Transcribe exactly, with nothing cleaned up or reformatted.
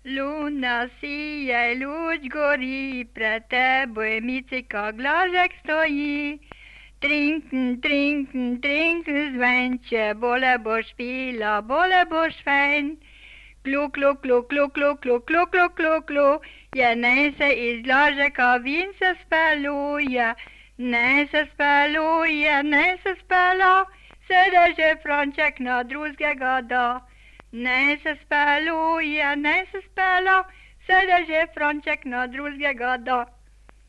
Luna sije, luč gori, pred teboj micika glažek stoji. Trinken, trinken, trinken zvenče, bole boš pila, bole boš fajn. Klu, klu, klu, klu, klu, klu, klu, klu, klu, klu, je nej se iz glažeka vin se speluje. Nej se speluje, nej se spela, sedeže Franček na drugega da. Nej se speluje, nej se spela, sedeže Franček na drugega da.